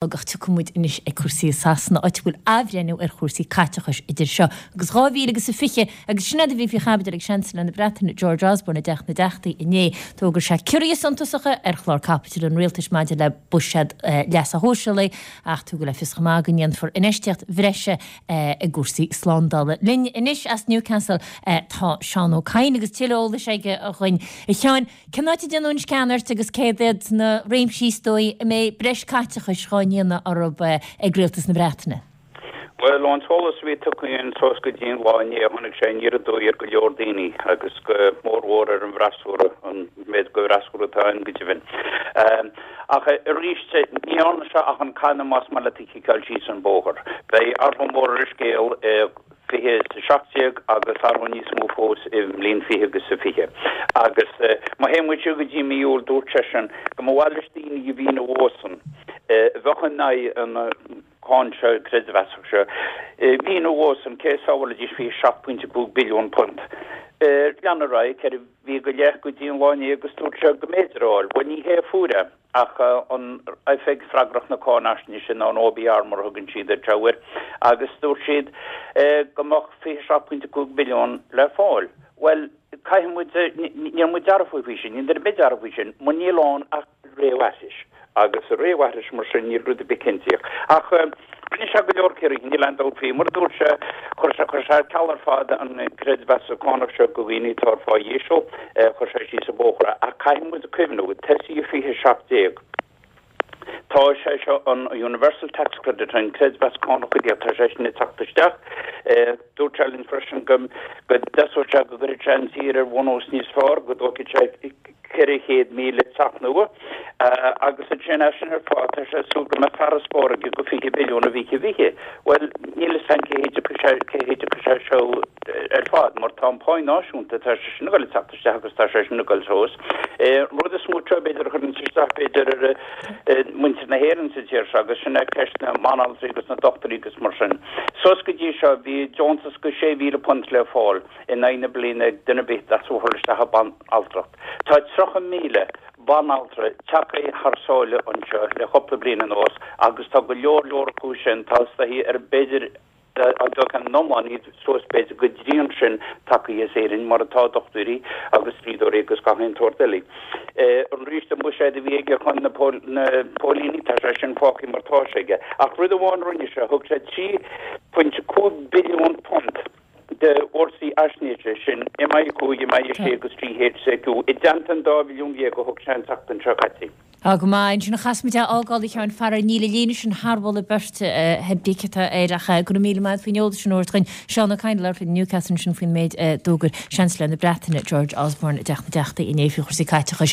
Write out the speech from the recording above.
Ach tiocfaidh muid anois ag cúrsaí i Sasana, áit a bhfuil athbhreithniú ar chúrsaí caiteachais idir seo agus 2020 agus sin é a bhí faoi chaibidil ag Seansailéir na Breataine George Osborne i dTeach na dTeachtaí inné. D'fhógair sé ciorruithe suntasacha ar chlár caipitil an rialtais maidir le buiséad leasa shóisialaigh ach tugadh le fios chomh maith go ndéanfar infheistíocht bhreise i gcúrsaí slándála. Linn anois as Newcastle tá Seán Ó Cadhain agus tuilleadh eolais aige dhuinn. A Sheáin, Cén áit a ndéanann an scean ort agus céard iad na réimsí is dóigh a mbeidh breis caiteachais dhá ndéanamh orthu ag Rialtas na Breataine? Bhuel, ón t-eolas a bhí tugtha againn suas go dtí an lá inné, tháinig sé aniar aduaidh ar go leor daoine agus go mórmhór ar an bhfreasúra, an méid de fhreasúra atá ann go deimhin. Ach arís, ní dhearna sé ach an canna más maith leat a chiceáil síos an bóthar. Beidh athrú mór ar an scéal i 20 is 17 agus athrú níos mó fós i mbliain 20 agus a 20. Agus má théann muid siar go dtí mí Iúil dúirt seisean go mba mhaith leis daoine a bhí ina bhósan, a bheadh in aghaidh an cáin seo creidmheasach seo, a bhí ina bhósan, cé a sábhálfaidís 27.5 billiún punt. Lean ar aghaidh 4 mhí go leith go dtí an lá inné agus dúirt sé go mb'fhéidir a fháil. Bhuel ní hé a fuair é. Ach an oifig freagrach na cáinaisnéise nó an OBR mar a thugann siad ar air, agus dúirt siad go mbeadh 27.5 billiún le fáil. Bhuel, caithfidh muid, níl muid dearfa faoi sin, níl duine ar bith dearfa faoi sin, mar níl ann ach réamhaithris. Agus réamhaithris mar sin, níl rud ar bith cinntíoch. Ach rinne sé go leor ciorruithe, níl aon dabht faoi. Mar a dúirt sé, chuir sé, chuir sé ar ceal ar fad an creidmheas cánach seo do dhaoine atá ar phá íseal, chuir sé síos an bóthar é. Ach caithfidh muid cuimhniú, tosaí 2017, tá sé seo, an Universal Tax Credit, an creidmheas cánach cuideachta, tá sé sin ag teacht isteach. Dúirt sé linn freisin go dtosóidh sé, go gcuirfidh sé an tír ar bhunús níos fearr, go dtógfaidh sé 400,000 teach nua agus ansin as sin ar fad tá sé ag súil go mbeidh farasbarr aige de 20 billiún i bhfiche fiche. Bhuel, níl fhios againn cé hé a dtiocfaidh sé seo ar fad mar tá an pá náisiúnta, tá sé sin ag dul ag teacht isteach agus tá sé sin ag dul suas. An rud is mó seo b'fhéidir a chuireann isteach b'fhéidir ar muintir na hÉireann sa tír seo agus sin é ceist na mbanaltraí agus na dochtúirí agus mar sin. Suas go dtí seo bhí deontas de £6,000 le fáil in aghaidh na bliana ag duine ar bith a theastaigh uathu isteach i banaltracht. Tá 30,000 banaltra tagtha thar sáile anseo le cúpla bliain anuas agus tá go leor leor acu sin tostaithe ar b'fhéidir dá dtógfaí an iomlán iad suas b'fhéidir go dtrian sin tagtha as Éirinn mar atá dochtúirí agus dlíodóirí agus gach aon tsórt eile. Arís an buiséad a bhí aige chun na póilíní tá sé sin fágtha mar tá sé aige. Ach rud amháin a rinne sé, thug sé 3.5 billiún punt do fhórsaí fhaisnéise, sin MI5, MI6 agus GCHQ, i dteannta an dá bhilliún dhéag a thug sé an tseachtain seo caite. Tá go maith. Ansin a chas muid é a fhágáil, a Sheáin, faraor níl an líne sin thar mholadh beirte, pé bith atá air ach go raibh míle maith agat faoin eolas sin a thabhairt dhuinn. Seán Ó Cadhain ag labhairt linn i Newcastle ansin faoin méid a d'fhógair Seansailéir na Breataine, George Osborne i dTeach na dTeachtaí inné faoi chúrsaí caiteachais.